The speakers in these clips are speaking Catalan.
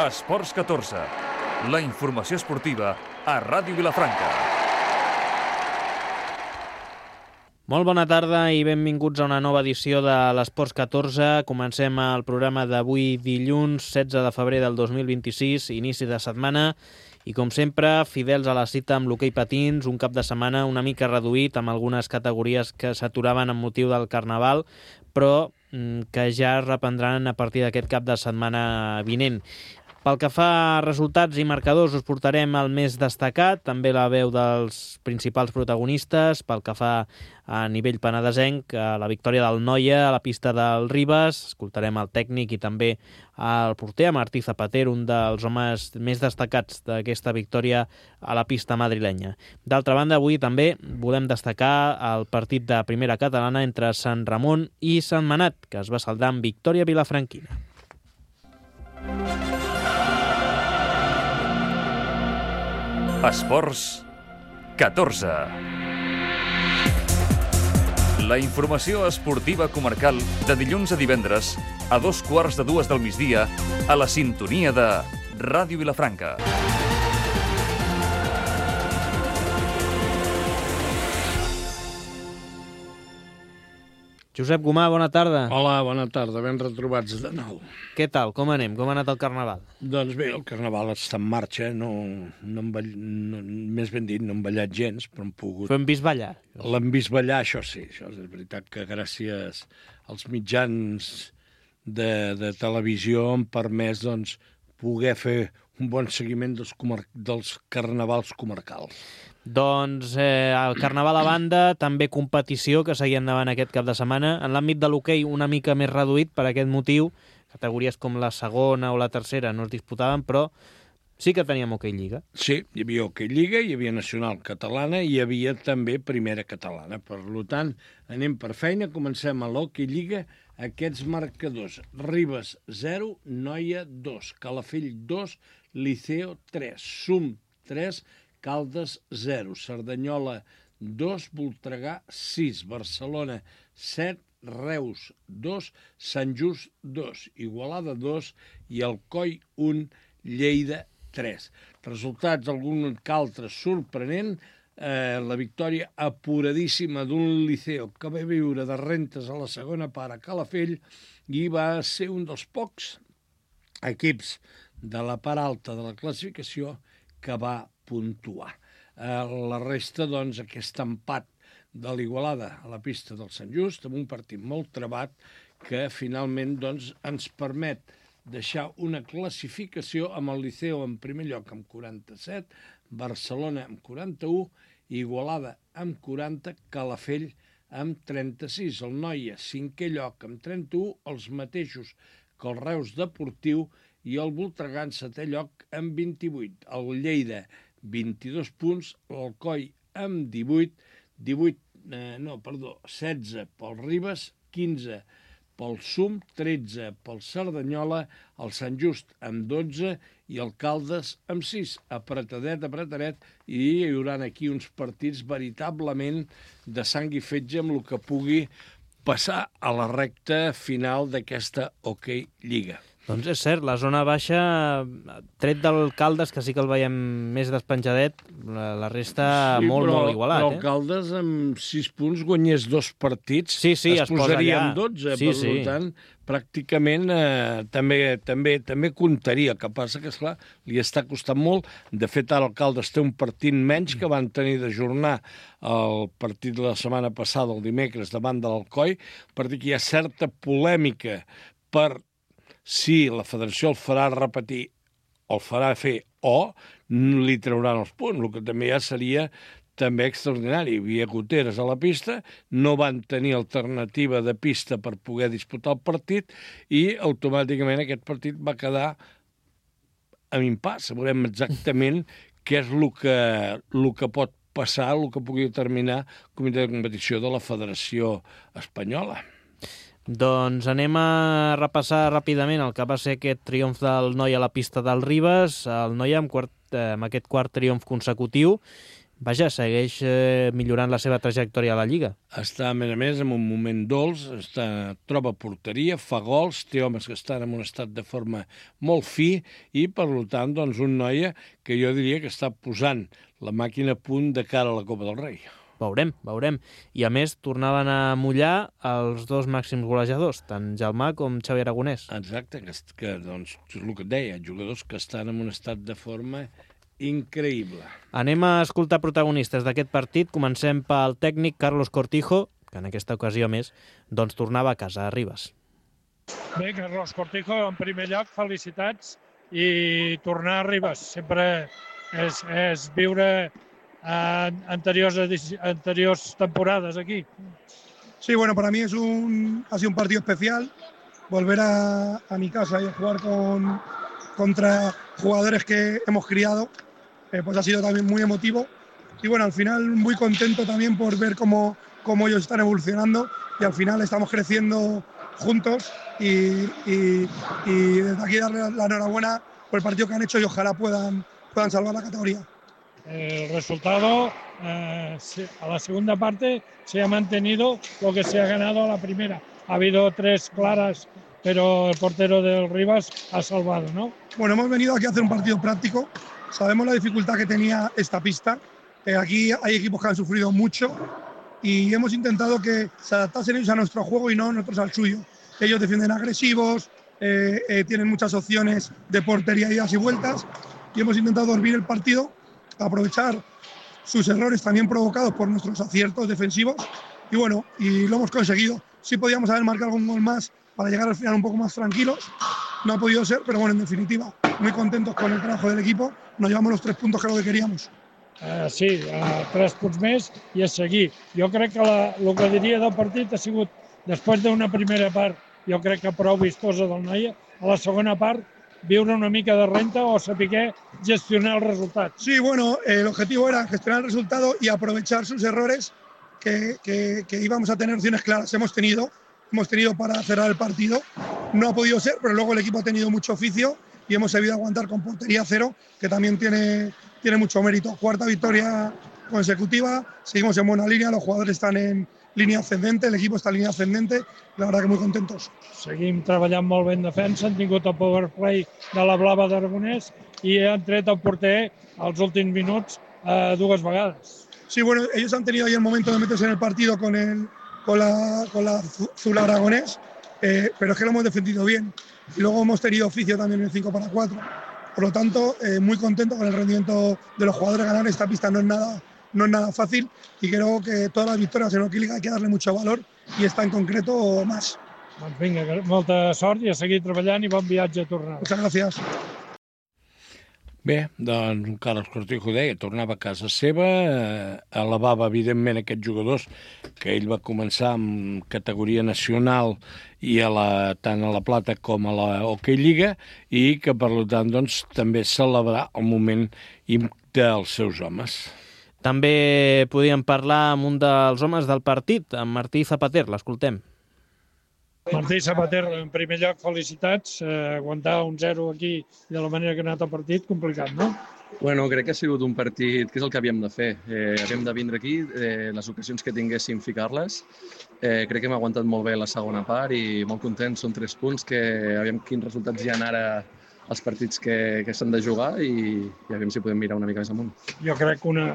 Esports 14, la informació esportiva a Ràdio Vilafranca. Molt bona tarda i benvinguts a una nova edició de l'Esports 14. Comencem el programa d'avui dilluns 16 de febrer del 2026, inici de setmana, i com sempre, fidels a la cita amb l'hoquei patins, un cap de setmana una mica reduït amb algunes categories que s'aturaven amb motiu del Carnaval, però que ja es reprendran a partir d'aquest cap de setmana vinent. Pel que fa a resultats i marcadors, us portarem el més destacat, també la veu dels principals protagonistes. Pel que fa a nivell penedesenc, la victòria del Noia a la pista del Ribes, escoltarem el tècnic i també el porter, Martí Zapater, un dels homes més destacats d'aquesta victòria a la pista madrilenya. D'altra banda, avui també volem destacar el partit de primera catalana entre Sant Ramon i Sant Manat, que es va saldar amb victòria vilafranquina. Esports 14. La informació esportiva comarcal de dilluns a divendres a 2:15 del migdia a la sintonia de Ràdio Vilafranca. Josep Gomà, bona tarda. Hola, bona tarda, ben retrobats de nou. Què tal? Com anem? Com ha anat el Carnaval? Doncs bé, el Carnaval està en marxa, més ben dit, no hem ballat gens, però hem pogut... Però hem vist ballar. L'hem vist ballar, això sí, això és veritat que gràcies als mitjans de televisió hem permès doncs, poder fer un bon seguiment dels carnavals comarcals. Doncs el Carnaval a banda, també competició que seguia endavant aquest cap de setmana. En l'àmbit de l'hoquei una mica més reduït per aquest motiu. Categories com la segona o la tercera no es disputaven, però sí que teníem hoquei lliga. Sí, hi havia hoquei lliga, hi havia nacional catalana i hi havia també primera catalana. Per tant, anem per feina, comencem a l'hoquei lliga. Aquests marcadors: Ribes 0, Noia 2, Calafell 2, Liceo 3, Sum 3, Caldes 0, Cerdanyola 2, Voltregà 6, Barcelona 7, Reus 2, Sant Just 2, Igualada 2 i Alcoi 1, Lleida 3. Resultats, algun que altre sorprenent, la victòria apuradíssima d'un Liceo que va viure de rentes a la segona part a Calafell i va ser un dels pocs equips de la part alta de la classificació que va puntuar. La resta, doncs, aquest empat de l'Igualada a la pista del Sant Just, amb un partit molt trebat que finalment doncs, ens permet deixar una classificació amb el Liceo en primer lloc amb 47, Barcelona amb 41, Igualada amb 40, Calafell amb 36, el Noia, cinquè lloc amb 31, els mateixos que el Reus Deportiu, i el Voltregà en setè lloc amb 28. El Lleida, 22 punts, l'Alcoi amb 16 pel Ribes, 15 pel Sum, 13 pel Cerdanyola, el Sant Just amb 12 i el Caldes amb 6. Apretadet, i hi haurà aquí uns partits veritablement de sang i fetge amb el que pugui passar a la recta final d'aquesta hoquei lliga. Doncs és cert, la zona baixa, tret del Caldes, que sí que el veiem més despenjadet, la resta sí, molt igualat. Però el Caldes amb 6 punts guanyés 2 partits, sí, es posaria amb 12, per tant, pràcticament també comptaria. El que passa que, esclar, li està costant molt. De fet, ara el Caldes té un partit menys que van tenir d'ajornar el partit de la setmana passada, el dimecres, davant de l'Alcoi, perquè hi ha certa polèmica per si la federació el farà repetir o el farà fer o li trauran els punts, el que també ja seria també extraordinari. Hi havia goteres a la pista, no van tenir alternativa de pista per poder disputar el partit i automàticament aquest partit va quedar amb impàs. Veurem exactament què és el que pot passar, el que pugui determinar el comitè de competició de la Federació Espanyola. Doncs anem a repassar ràpidament el que va ser aquest triomf del Noia a la pista del Ribes. El Noia amb aquest quart triomf consecutiu vaja, segueix millorant la seva trajectòria a la Lliga. Està, a més, en un moment dolç, troba porteria, fa gols, té homes que estan en un estat de forma molt fi i, per tant, doncs, un noia que jo diria que està posant la màquina a punt de cara a la Copa del Rei. Veurem. I, a més, tornaven a mullar els dos màxims golejadors, tant Jalmà com Xavi Aragonès. Exacte, que doncs, és el que et deia, jugadors que estan en un estat de forma increïble. Anem a escoltar protagonistes d'aquest partit. Comencem pel tècnic Carlos Cortijo, que en aquesta ocasió, més, doncs tornava a casa, a Ribes. Bé, Carlos Cortijo, en primer lloc, felicitats i tornar a Ribes. Sempre és viure anteriors temporadas aquí. Sí, bueno, para mí ha sido un partido especial. Volver a mi casa y a jugar contra jugadores que hemos criado, pues ha sido también muy emotivo. Y bueno, al final muy contento también por ver cómo ellos están evolucionando y al final estamos creciendo juntos y desde aquí darle la enhorabuena por el partido que han hecho y ojalá puedan salvar la categoría. El resultado a la segunda parte se ha mantenido lo que se ha ganado a la primera. Ha habido 3 claras, pero el portero del Rivas ha salvado, ¿no? Bueno, hemos venido aquí a hacer un partido práctico. Sabemos la dificultad que tenía esta pista. Aquí hay equipos que han sufrido mucho y hemos intentado que se adaptasen ellos a nuestro juego y no nosotros al suyo. Ellos defienden agresivos, tienen muchas opciones de portería, idas y vueltas, y hemos intentado dormir el partido, aprovechar sus errores también provocados por nuestros aciertos defensivos y bueno, y lo hemos conseguido. Sí podíamos haber marcado un gol más para llegar al final un poco más tranquilos, no ha podido ser, pero bueno, en definitiva, muy contentos con el trabajo del equipo, nos llevamos los 3 puntos que era lo que queríamos. Sí, 3 punts més i a seguir. Jo crec que el que diria del partit ha sigut, després d'una primera part, jo crec que prou vistosa del Noia, a la segona part viure una mica de renta o saber gestionar el resultat. Sí, bueno, el objetivo era gestionar el resultado y aprovechar sus errores que íbamos a tener opciones claras. Hemos tenido para cerrar el partido. No ha podido ser, pero luego el equipo ha tenido mucho oficio y hemos sabido aguantar con portería 0, que también tiene mucho mérito. 4ª victoria consecutiva, seguimos en buena línea, los jugadores están en línea ascendente, el equipo está en línea ascendente, la verdad que muy contentos. Seguim treballant molt bé en defensa, han tingut el power play de la Blava d'Aragonès i han tret el porter als últims minuts 2 vegades. Sí, bueno, ellos han tenido ahí el momento de meterse en el partido con la Zula Aragonés, pero es que lo hemos defendido bien. Y luego hemos tenido oficio también en el 5-4. Por lo tanto, muy contento con el rendimiento de los jugadores. Ganar esta pista no es nada fácil y creo que todas las victorias en Hockey Liga hay que darle mucho valor y esta en concreto más. Doncs vinga, molta sort i a seguir treballant i bon viatge a tornar. Muchas gracias. Bé, doncs Carlos Cortijo deia, tornava a casa seva, elevava evidentment aquests jugadors que ell va començar amb categoria nacional i tant a la Plata com a la Hockey Lliga i que per tant doncs, també celebrar el moment dels seus homes. També podíem parlar amb un dels homes del partit, amb Martí Zapater, l'escoltem. Martí Zapater, en primer lloc, felicitats. Aguantar un 0 aquí de la manera que ha anat el partit, complicat, no? Bueno, crec que ha sigut un partit que és el que havíem de fer. Havíem de vindre aquí, les ocasions que tinguéssim ficar-les. Crec que hem aguantat molt bé la segona part i molt contents. Són 3 punts que aviam quins resultats hi ha ara els partits que s'han de jugar i aviam si podem mirar una mica més amunt. Jo crec que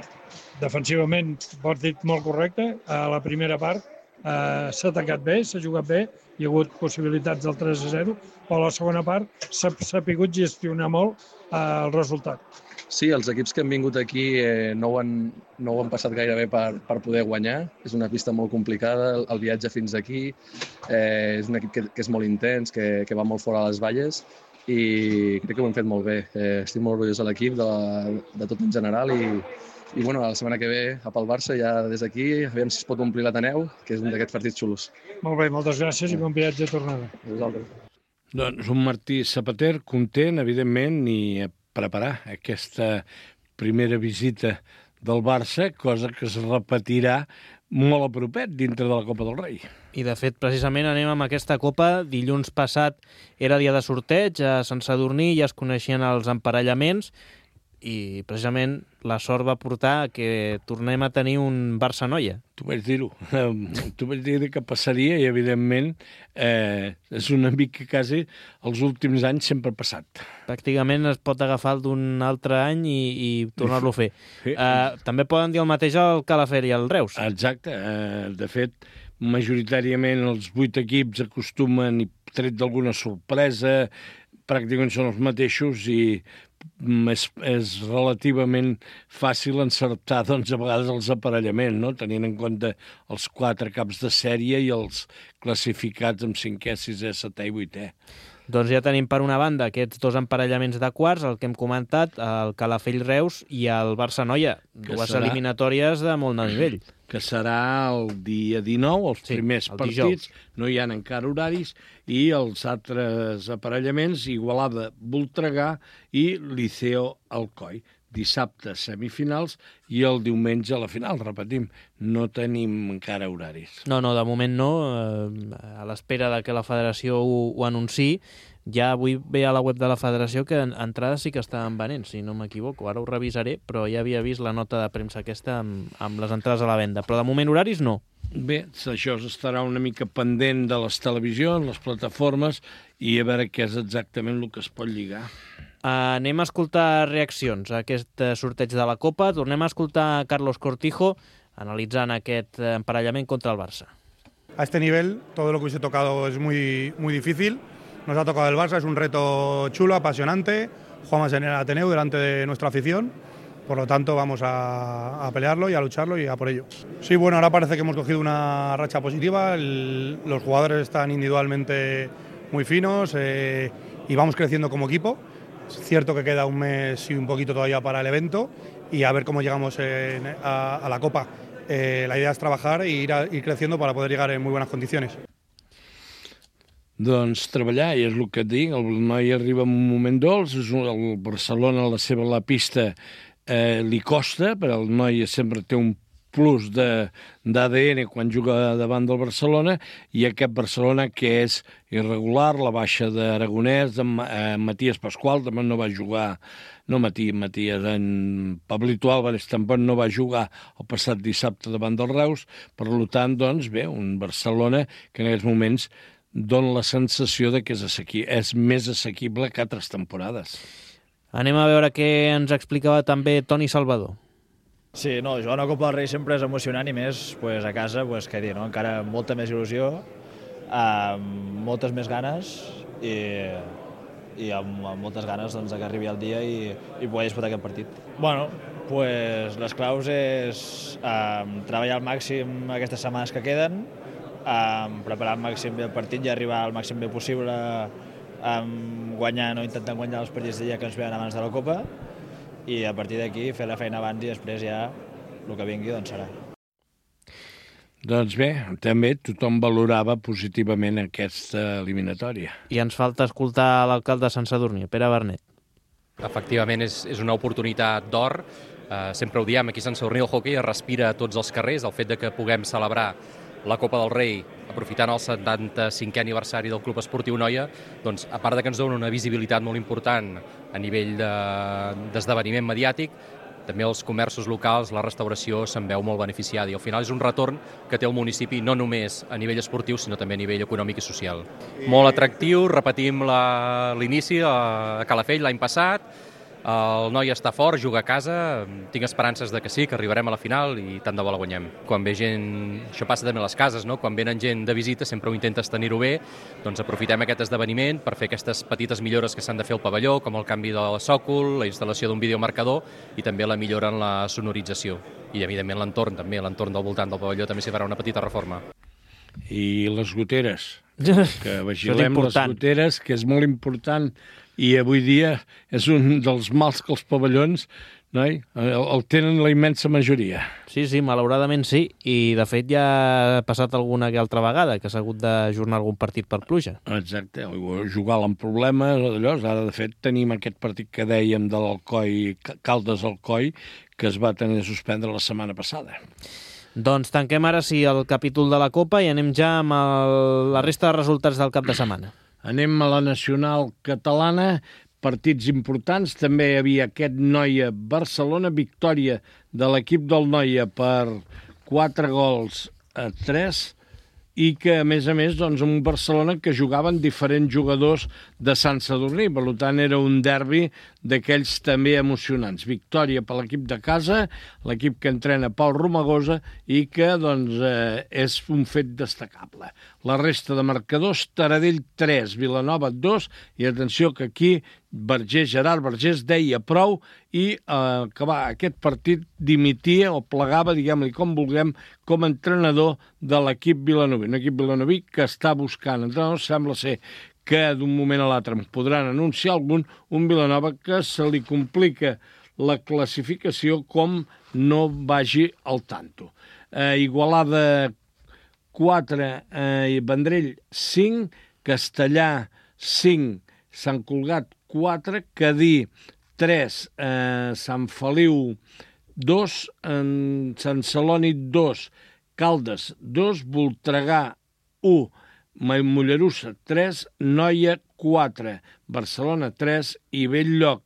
defensivament partit molt correcte. A la primera part s'ha atacat bé, s'ha jugat bé, hi ha hagut possibilitats del 3-0, però a la segona part s'ha sapigut gestionar molt el resultat. Sí, els equips que han vingut aquí no ho han passat gaire bé per poder guanyar. És una pista molt complicada, el viatge fins aquí. És un equip que és molt intens, que va molt fora a les valles i crec que ho hem fet molt bé. Estic molt orgullós de l'equip, de tot en general i bueno, la setmana que ve pel Barça ja des d'aquí, aviam si es pot omplir l'Ateneu, que és un d'aquests partits xulos. Molt bé, moltes gràcies i bon viatge a tornada. A vosaltres. Doncs un Martí Zapater content, evidentment, i a preparar aquesta primera visita del Barça, cosa que es repetirà molt a propet dintre de la Copa del Rei. I, de fet, precisament anem amb aquesta Copa. Dilluns passat era dia de sorteig a Sant Sadurní, ja es coneixien els emparellaments. i precisament la sort va portar que tornem a tenir un Barça-Noia. Tu vaig dir-ho. Tu vaig dir que passaria i, evidentment, és un amic que quasi els últims anys sempre ha passat. Pràcticament es pot agafar d'un altre any i tornar-lo a fer. També poden dir el mateix al Calafell i al Reus. Exacte. De fet, majoritàriament els 8 equips acostumen, i tret d'alguna sorpresa, pràcticament són els mateixos i és relativament fàcil encertar, doncs, a vegades els aparellaments, no? Tenint en compte els 4 caps de sèrie i els classificats amb 5è, 6è, 7è i 8è. Doncs ja tenim per una banda aquests 2 emparellaments de quarts, el que hem comentat, el Calafell-Reus i el Barça-Noia, dues eliminatòries de molt de nivell. Que serà el dia 19, els primers partits, no hi ha encara horaris, i els altres aparellaments, Igualada-Voltregà i Liceo-Alcoi. Dissabte semifinals i el diumenge a la final, repetim, no tenim encara horaris. No, de moment no, a l'espera de que la federació ho anunciï. Ja avui veia a la web de la federació que entrades sí que estaven venent, si no m'equivoco, ara ho revisaré, però ja havia vist la nota de premsa aquesta amb les entrades a la venda, però de moment horaris no. Bé, això estarà una mica pendent de les televisions, les plataformes, i a veure què és exactament el que es pot lligar. Anem a escoltar reaccions a aquest sorteig de la Copa. Tornem a escoltar Carlos Cortijo analitzant aquest emparellament contra el Barça. A este nivel, todo lo que hubiese tocado es muy, muy difícil. Nos ha tocado el Barça, es un reto chulo, apasionante. Jugamos en el Ateneu delante de nuestra afición. Por lo tanto, vamos a pelearlo y a lucharlo y a por ello. Sí, bueno, ahora parece que hemos cogido una racha positiva. Los jugadores están individualmente muy finos y vamos creciendo como equipo. Es cierto que queda un mes y un poquito todavía para el evento y a ver cómo llegamos a la Copa. La idea es trabajar e ir creciendo para poder llegar en muy buenas condiciones. Doncs treballar, i és el que et dic, el noi arriba en un moment dolç, el Barcelona, la pista li costa, però el noi sempre té un plus d'ADN quan juga davant del Barcelona, i aquest Barcelona que és irregular, la baixa d'Aragonès, Matías Pascual també no va jugar, no Matías, en Pablito Álvarez tampoc no va jugar el passat dissabte davant del Reus, per tant, doncs bé, un Barcelona que en aquests moments dona la sensació de que és més assequible que altres temporades. Anem a veure què ens explicava també Toni Salvador. Sí, no, jugar una Copa del Rei sempre és emocionant i més a casa, què dir, no? Encara amb molta més il·lusió, amb moltes més ganes i amb moltes ganes doncs, que arribi el dia i poder disputar aquest partit. Bueno, les claus és treballar al màxim aquestes setmanes que queden, preparar al màxim bé el partit i arribar al màxim bé possible guanyant o intentant guanyar els partits de dia que ens venen abans de la Copa, i a partir d'aquí fer la feina abans i després ja el que vingui doncs serà. Doncs bé, també tothom valorava positivament aquesta eliminatòria. I ens falta escoltar l'alcalde de Sant Sadurní, Pere Bernet. Efectivament, és una oportunitat d'or. Sempre ho diem, aquí a Sant Sadurní el hoquei es respira a tots els carrers. El fet de que puguem celebrar la Copa del Rei aprofitant el 75è aniversari del Club Esportiu Noia, doncs, a part de que ens dona una visibilitat molt important a nivell d'esdeveniment mediàtic, també els comerços locals, la restauració se'n veu molt beneficiada i al final és un retorn que té el municipi no només a nivell esportiu sinó també a nivell econòmic i social. Molt atractiu, repetim l'inici a Calafell l'any passat, el noi està fort, juga a casa, tinc esperances de que sí, que arribarem a la final i tant de bo la guanyem. Quan ve gent, això passa també a les cases, no? Quan venen gent de visita sempre ho intentes tenir-ho bé, doncs aprofitem aquest esdeveniment per fer aquestes petites millores que s'han de fer al pavelló, com el canvi del sòcol, la instal·lació d'un videomarcador i també la millora en la sonorització. I evidentment l'entorn també, l'entorn del voltant del pavelló també s'hi farà una petita reforma. I les goteres, que vigilem les goteres, que és molt important. I avui dia és un dels mals que els pavellons el tenen la immensa majoria. Sí, malauradament sí, i de fet ja ha passat alguna que altra vegada que s'ha hagut d'ajornar algun partit per pluja. Exacte, jugar amb problemes, ara de fet tenim aquest partit que dèiem de l'Alcoi, Caldes-Alcoi, que es va tenir de suspendre la setmana passada. Doncs tanquem ara sí el capítol de la Copa i anem ja amb la resta de resultats del cap de setmana. Anem a la nacional catalana partits importants. També hi havia aquest Noia-Barcelona, victòria de l'equip del Noia per 4-3, i que, a més, doncs, un Barcelona que jugaven diferents jugadors de Sant Sadurní. Per tant, era un derbi d'aquells també emocionants. Victòria per l'equip de casa, l'equip que entrena Pau Romagosa, i que doncs, és un fet destacable. La resta de marcadors: Taradell 3, Vilanova 2, i atenció que aquí Gerard Vergés deia prou i acabar aquest partit dimitia o plegava, diguem-li com vulguem, com a entrenador de l'equip vilanoví. Un equip vilanoví que està buscant entrenadors. Sembla ser que d'un moment a l'altre en podran anunciar algun, un Vilanova que se li complica la classificació com no vagi al tanto. Igualada 4, Vendrell 5, Castellà 5, Sant Cugat 4, Cadí 3, Sant Feliu 2, Sant Celoni 2, Caldes 2, Voltregà 1, Mollerussa 3, Noia 4, Barcelona 3 i Bell-lloc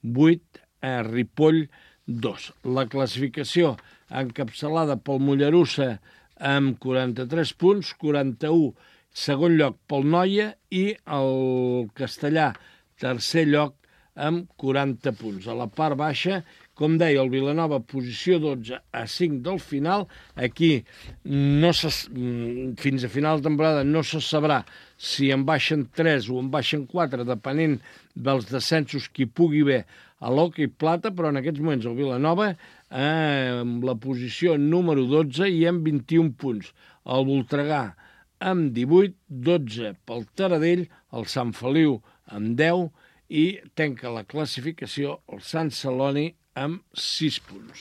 8, Ripoll 2. La classificació encapçalada pel Mollerussa amb 43 punts, 41 segon lloc pel Noia i el Castellà tercer lloc amb 40 punts. A la part baixa, com deia, el Vilanova, posició 12 a 5 del final. Aquí, fins a final de temporada, no se sabrà si en baixen 3 o en baixen 4, depenent dels descensos que hi pugui haver a l'hoquei plata, però en aquests moments el Vilanova amb la posició número 12 i amb 21 punts. El Voltregà amb 18, 12 pel Taradell, el Sant Feliu amb 10 i tanca la classificació el Sant Celoni amb 6 punts.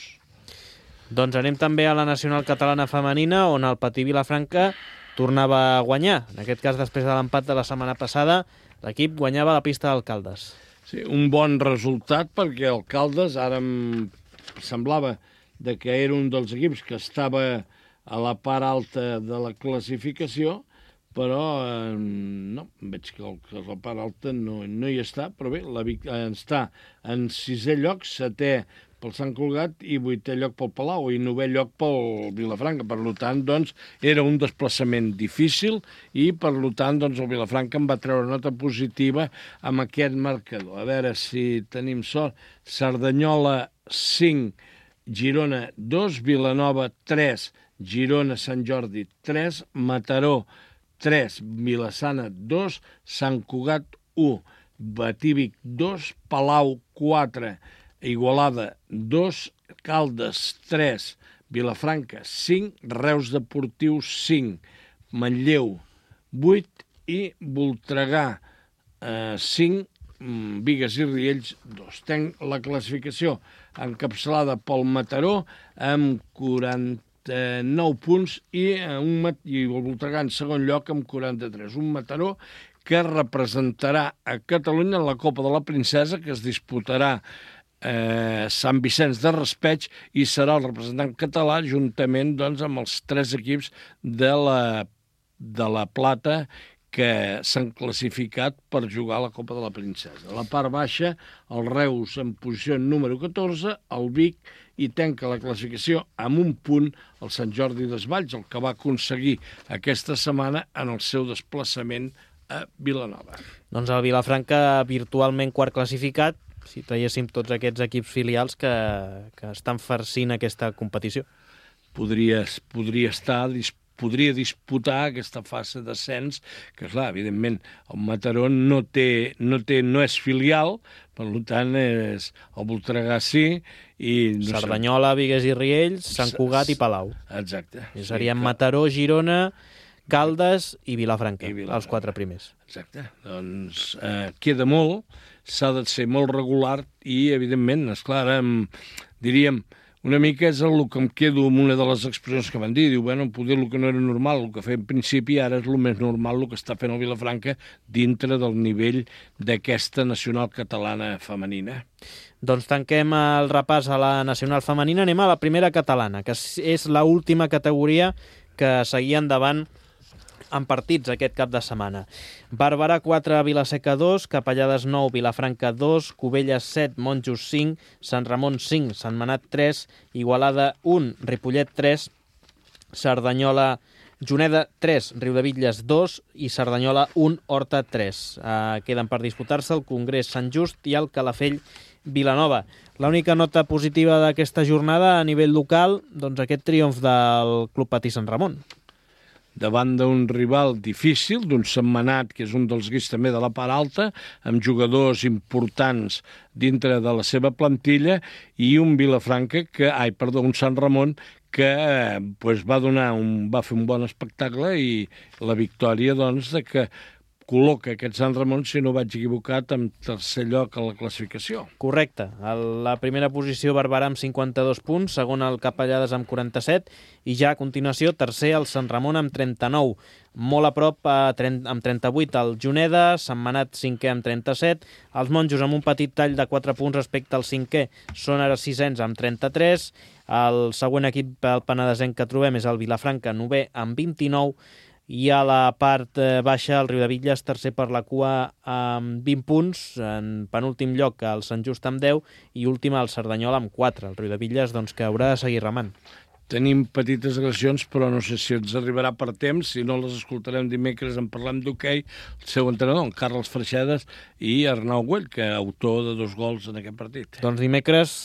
Doncs anem també a la Nacional Catalana Femenina, on el Patí Vilafranca tornava a guanyar. En aquest cas, després de l'empat de la setmana passada, l'equip guanyava la pista d'Alcaldes. Sí, un bon resultat, perquè Alcaldes ara em semblava que era un dels equips que estava a la part alta de la classificació, però no, veig que la part alta no hi està, però bé, està en 6è lloc, 7è pel Sant Cugat i 8è lloc pel Palau i 9è lloc pel Vilafranca. Per tant, doncs, era un desplaçament difícil i, per tant, doncs, el Vilafranca em va treure nota positiva amb aquest marcador. A veure si tenim sort. Cerdanyola 5, Girona 2, Vilanova 3, Girona Sant Jordi 3, Mataró 3, Vilassana 2, Sant Cugat 1, Batívic 2, Palau 4, Igualada 2, Caldes 3, Vilafranca 5, Reus Deportiu 5, Manlleu 8 i Voltregà 5, Bigues i Riells 2. Tenc la classificació encapçalada pel Mataró amb 49 punts i el Voltregà en segon lloc amb 43. Un Mataró que representarà a Catalunya en la Copa de la Princesa, que es disputarà Sant Vicenç de Raspeig, i serà el representant català juntament, doncs, amb els 3 equips de la Plata que s'han classificat per jugar a la Copa de la Princesa. A la part baixa, el Reus en posició número 14, el Vic, i tanca la classificació amb un punt el Sant Jordi Desvalls, el que va aconseguir aquesta setmana en el seu desplaçament a Vilanova. Doncs el Vilafranca virtualment quart classificat, si traguéssim tots aquests equips filials que estan farcint aquesta competició. Podria disputar aquesta fase d'ascens, que, clar, evidentment, el Mataró no és filial, per tant, és el Voltregà sí, i Cerdanyola, Bigues i Riells, Sant Cugat i Palau. Exacte. I serien Mataró, Girona, Caldes i Vilafranca, els 4 primers. Exacte. Doncs queda molt, s'ha de ser molt regular i, evidentment, esclar, diríem, una mica és el que em quedo amb una de les expressions que van dir. Diu, bueno, poder el que no era normal, el que feia en principi, ara és el més normal el que està fent el Vilafranca dintre del nivell d'aquesta nacional catalana femenina. Doncs tanquem el repàs a la nacional femenina. Anem a la primera catalana, que és l'última categoria que seguia endavant en partits aquest cap de setmana. Barberà 4, Vilaseca 2, Capellades 9, Vilafranca 2, Cubelles 7, Monjos 5, Sant Ramon 5, Sentmenat 3, Igualada 1, Ripollet 3, Cerdanyola, Juneda 3, Riudebitlles 2 i Cerdanyola 1, Horta 3. Queden per disputar-se el Congrés Sant Just i el Calafell Vilanova. L'única nota positiva d'aquesta jornada a nivell local, doncs aquest triomf del Club Patí Sant Ramon. Davant d'un rival difícil, d'un Sentmenat, que és un dels guis també de la part alta, amb jugadors importants dintre de la seva plantilla, i un Vilafranca, un Sant Ramon, que va fer un bon espectacle i la victòria, doncs, de que col·loca aquest Sant Ramon, si no vaig equivocat, en tercer lloc a la classificació. Correcte. A la primera posició Barberà amb 52 punts, segon el Capellades amb 47 i ja a continuació tercer el Sant Ramon amb 39. Molt a prop amb 38 el Juneda, Sentmenat 5è amb 37, els Monjos amb un petit tall de 4 punts respecte al 5è són ara 6ens amb 33, el següent equip del penedesenc que trobem és el Vilafranca 9è amb 29, i a la part baixa el Riudebitlles tercer per la cua amb 20 punts, en penúltim lloc el Sant Just amb 10 i últim el Cerdanyola amb 4. El Riudebitlles doncs, que haurà de seguir remant. Tenim petites agressions, però no sé si ens arribarà per temps. Si no, les escoltarem dimecres en Parlem d'Hoquei, el seu entrenador, en Carles Freixedes, i Arnau Güell, que és autor de 2 gols en aquest partit. Doncs dimecres,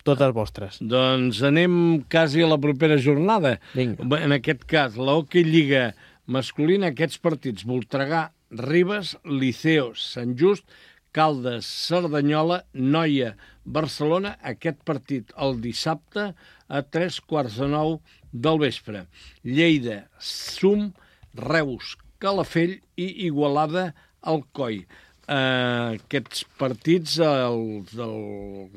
totes vostres. Doncs anem quasi a la propera jornada. Vinga. En aquest cas, la Hoquei Lliga masculina, aquests partits: Voltregà, Ribes, Liceo, Sant Just, Caldes, Cerdanyola, Noia, Barcelona. Aquest partit el dissabte a 8:45 del vespre. Lleida, Sum, Reus, Calafell i Igualada, Alcoi. Aquests partits, els del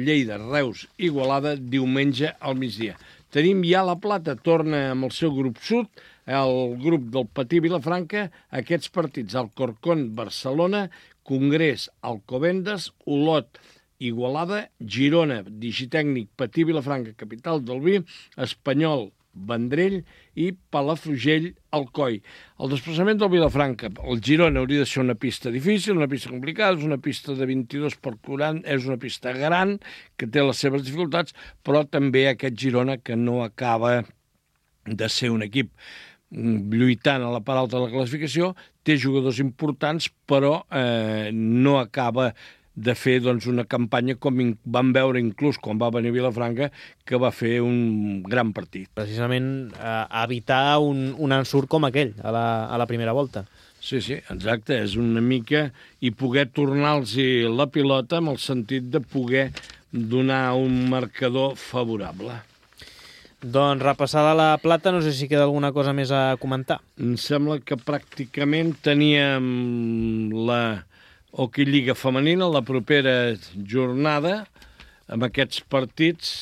Lleida, Reus, Igualada, diumenge al migdia. Tenim ja la Plata, torna amb el seu grup sud, el grup del Patí Vilafranca, aquests partits: Alcorcón, Barcelona, Congrés, Alcobendas, Olot, Igualada, Girona, Digitècnic, Patí Vilafranca, capital del vi, Espanyol, Vendrell i Palafrugell, Alcoi. El desplaçament del Vilafranca, el Girona, hauria de ser una pista difícil, una pista complicada, és una pista de 22 per 40, és una pista gran, que té les seves dificultats, però també aquest Girona, que no acaba de ser un equip lluitant a la part alta de la classificació, té jugadors importants, però no acaba de fer una campanya com vam veure inclús quan va venir a Vilafranca, que va fer un gran partit. Precisament evitar un ensurt com aquell a la primera volta. Sí, exacte, és una mica i poder tornar-los la pilota amb el sentit de poder donar un marcador favorable. Doncs repassada la Plata, no sé si queda alguna cosa més a comentar. Em sembla que pràcticament teníem la Hoquei Lliga femenina la propera jornada amb aquests partits.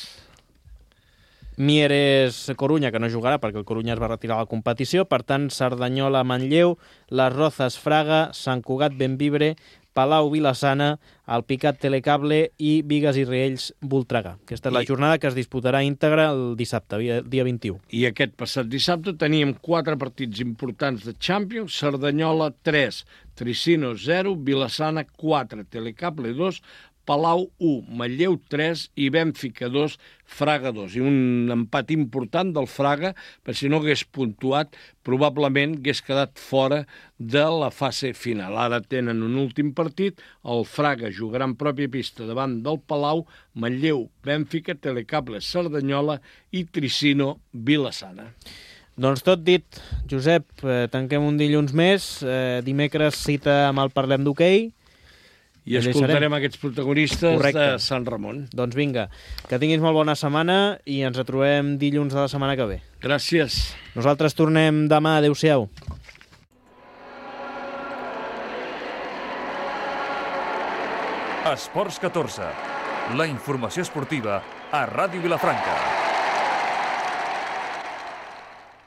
Mieres Corunya, que no jugarà perquè el Corunya es va retirar a la competició, per tant Cerdanyola Manlleu, Les Rozas Fraga, Sant Cugat Bembibre, Palau Vilassana, el Picat Telecable i Bigues i Riells Voltregà. Aquesta és la jornada que es disputarà íntegra el dissabte, dia 21. I aquest passat dissabte teníem 4 partits importants de Champions: Cerdanyola 3, Tricino 0, Vilassana 4, Telecable 2, Palau 1, Manlleu 3 i Bènfica 2, Fraga 2. I un empat important del Fraga, per si no hagués puntuat, probablement hagués quedat fora de la fase final. Ara tenen un últim partit, el Fraga jugarà en pròpia pista davant del Palau, Manlleu, Bènfica, Telecable, Cerdanyola i Tricino, Vilassana. Doncs tot dit, Josep, tanquem un dilluns més, dimecres cita amb el Parlem d'Hoquei. I escoltarem aquests protagonistes de Sant Ramon. Doncs vinga, que tinguis molt bona setmana i ens retrobem dilluns de la setmana que ve. Gràcies. Nosaltres tornem demà. Adéu-siau. Esports 14. La informació esportiva a Ràdio Vilafranca.